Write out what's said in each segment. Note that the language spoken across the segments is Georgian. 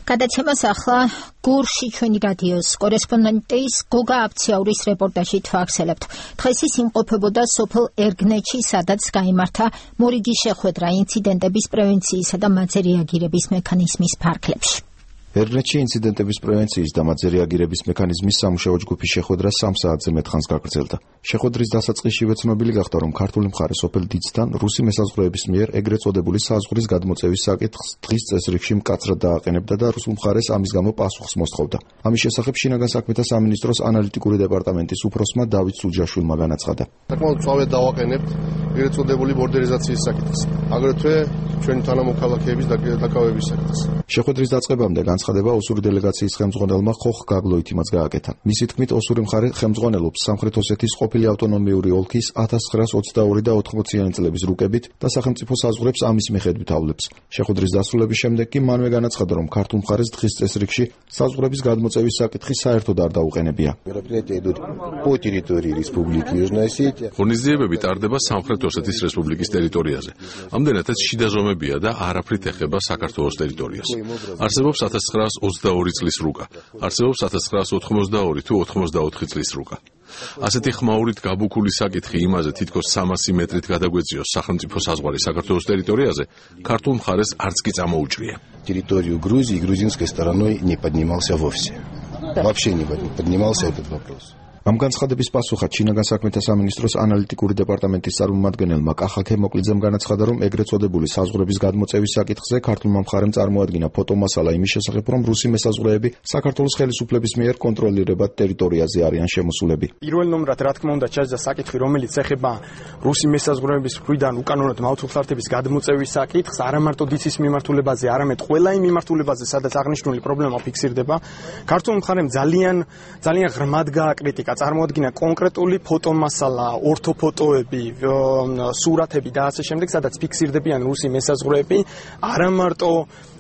გადაცემას ახლა გურში ჩვენი რადიოს კორესპონდენტის გოგა აფციაურის რეპორტაჟით ვახსენებთ. დღეს ის იმყოფებოდა სოფელ ერგნეთში, სადაც გაიმართა მორიგი შეხვედრა ინციდენტების პრევენციისა და მათზე რეაგირების მექანიზმის ფარგლებში. ერგნეთში ინციდენტების პრევენციის და მათზე რეაგირების მექანიზმის სამუშაო ჯგუფის შეხვედრა 3 საათზე მეტხანს გაგრძელდა. შეხვედრის დასაწყისშივე ცნობილი გახდა, რომ ქართული მხარე სოფელ დიდსთან რუსი მესაზღვრეების მიერ ეგრეთ წოდებული საზღვრის გადმოწევის საკითხს დღის წესრიგში მკაცრად დააყენებდა და რუსულ მხარეს ამის გამო პასუხს მოსთხოვდა. ამის შესახებ შინაგან საქმეთა სამინისტროს ანალიტიკური დეპარტამენტის უფროსმა დავით სუჯაშვილმა განაცხადა. საკმაოდ სწორად დავაყენებთ ეგრეთ წოდებული ბორდერიზაციის საკითხს, აგრეთვე ჩვენი თანამოქალაქეების დაკავების საკითხს. შეხვედრის დაწყებამდე განცხადება ოსური დელეგაციის ხელმძღვანელმა ხოხ გაგლოითიმაც გააკეთა. მისი თქმით, ოსური მხარე ხელმძღვანელობს სამხრეთ ოსეთის ყოფილი ავტონომიური ოლქის 1922 და 80-იანი წლების რუკებით და სახელმწიფო საზღვრებს ამის მიხედვით ავლებს. შეხვედრის დასრულების შემდეგ კი მანვე განაცხადა, რომ ქართულ მხარეს დღის წესრიგში საზღვრების გადმოწევის საკითხი საერთოდ არ დაუყენებია. ღონისძიებები ტარდება სამხრეთ ოსეთის რესპუბლიკის ტერიტორიაზე. ამდენადაც შიდა ზომებია და არაფრით ეხება საქართველოს ტერიტორიას. არსებობს 1922 წლის რუკა. არსებობს 1982 თუ 84 წლის რუკა. ასეთი ხმაურით გაბუქული საკითხი იმაზე, თითქოს 300 მეტრით გადაგვეწიოს სახელმწიფო საზღვარი საქართველოს ტერიტორიაზე, ქართულ მხარეს არც კი წამოუჭრია. Территорию Грузии грузинской стороной не поднимался вовсе. Вообще не поднимался этот вопрос. ამ განცხადების პასუხად შინაგან საქმეთა სამინისტროს ანალიტიკური დეპარტამენტის წარმომადგენელმა კახა ქემოკლიძემ განაცხადა, რომ ეგრეთ წოდებული საზღვრების გადმოწევის საკითხზე ქართულმა მხარემ წარმოადგინა ფოტომასალა იმის შესახებ, რომ რუსი მესაზღვრეები საქართველოს ხელისუფლების მიერ კონტროლირებად ტერიტორიაზე არიან შემოსულები. პირველ ნომრად, რა თქმა უნდა, ჩაჯდა საკითხი, რომელიც ეხება რუსი მესაზღვრეების მხრიდან უკანონოდ მავთულხლართების გადმოწევის საკითხს, არა მარტო დიცის მიმართულებაზე, არამედ ყველა იმ მიმართულებაზე, სადაც აღნიშნული პრობლემა ფიქსირდება. ქართულ მხარემ ძალიან ღრმად გააკრიტიკა, წარმოადგინა კონკრეტული ფოტომასალა, ორთოფოტოები, სურათები და ასე შემდეგ, სადაც ფიქსირდებიან რუსი მესაზღვრეები, არა მარტო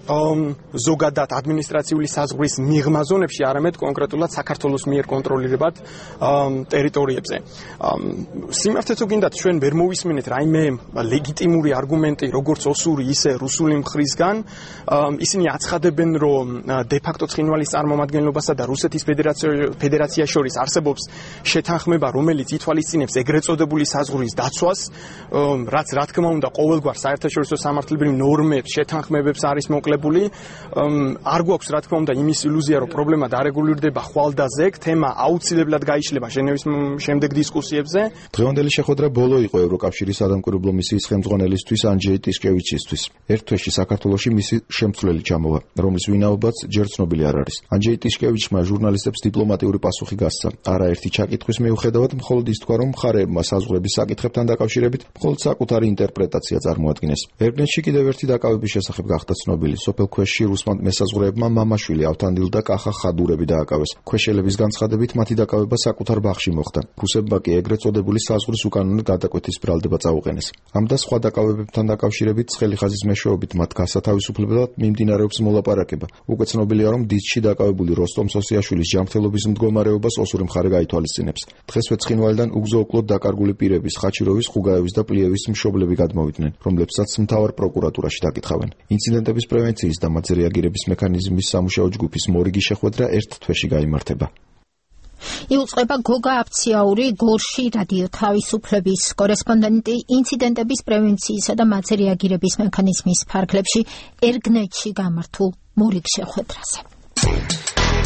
ზოგადად ადმინისტრაციული საზღვრის მიღმა ზონებში, არამედ კონკრეტულად საქართველოს მიერ კონტროლირებად ტერიტორიებზე. სიმართლე თუ გინდათ, ჩვენ ვერ მოვისმინეთ რაიმე ლეგიტიმური არგუმენტი, როგორც ოსური, ისე რუსული მხრისგან. ისინი აცხადებენ, რომ დე-ფაქტო ცხინვალის წარმომადგენლობასა და რუსეთის ფედერაციას შორის არსებობს შეთანხმება, რომელიც ითვალისწინებს ეგრეთ წოდებული საზღვრის დაცვას, რაც რა თქმა უნდა ყოველგვარ საერთაშორისო სამართლებრივ ნორმებს, შეთანხმებებს არის მოკლებული. არ გვაქვს რა თქმა უნდა იმის ილუზია, რომ პრობლემა დარეგულირდება ხვალდაზეგ, თემა აუცილებლად გაიშლება ჟენევის შემდეგ დისკუსიებზე. დღევანდელი შეხვედრა ბოლო იყო ევროკავშირის სადამკვირვებლო მისიის ხელმძღვანელისთვის ანჯეი ტიშკევიჩისთვის. ერთ თვეში საქართველოში მისი შემცვლელი ჩამოვა, რომლის ვინაობაც ჯერ ცნობილი არ არის. ანჯეი ტიშკევიჩმა ჟურნალისტებს დიპლომატიური პასუხი გასცა. არაერთი ჩაკითხვის მიუხედავად, მხოლოდ ის თქვა, რომ მხარეებმა საზღვრების საკითხებთან დაკავშირებით მხოლოდ საკუთარი ინტერპრეტაცია წარმოადგინეს. ერგნეთში კიდევ ერთი დაკავების შესახებ გახდა ცნობილი. სოფელ ქვეშში რუსმა მესაზღვრეებმა მამაშვილი ავთანდილ და კახა ხადურები დააკავეს. ქვეშელების განცხადებით მათი დაკავება საკუთარ ბაღში მოხდა. რუსებმა კი ეგრეთ წოდებული საზღვრის უკანონო გადაკვეთის ბრალდება წაუყენეს. ამ და სხვა დაკავებებთან დაკავშირებით ცხელი ხაზის მეშვეობით მათ გასათავისუფლებლად მიმდინარეობს მოლაპარაკება. უკვე ცნობილია, რომ დიცში დაკავებული როსტომ სოსიაშვილის ჯანმრთელობის მდგომარეობას ოსური მხარე გაითვალისწინებს. დღესვე ცხინვალიდან უგზო-უკლოდ დაკარგული პირების, ხაჩიროვის, ხუგაევის და პლიევის მშობლები გადმოვიდნენ, რომლებსაც მთავარ პროკურატურაში დაკითხავენ. ინციდენტების პრევენციის და მათზე რეაგირების მექანიზმის სამუშაო ჯგუფის მორიგი შეხვედრა ერთ თვეში გაიმართება. იუწყება გოგა აფციაური, გურში რადიო თავისუფლების კორესპონდენტი ინციდენტების პრევენციისა და მათზე რეაგირების მექანიზმის ფარგლებში ერგნეთში გამართულ მორიგ შეხვედრაზე.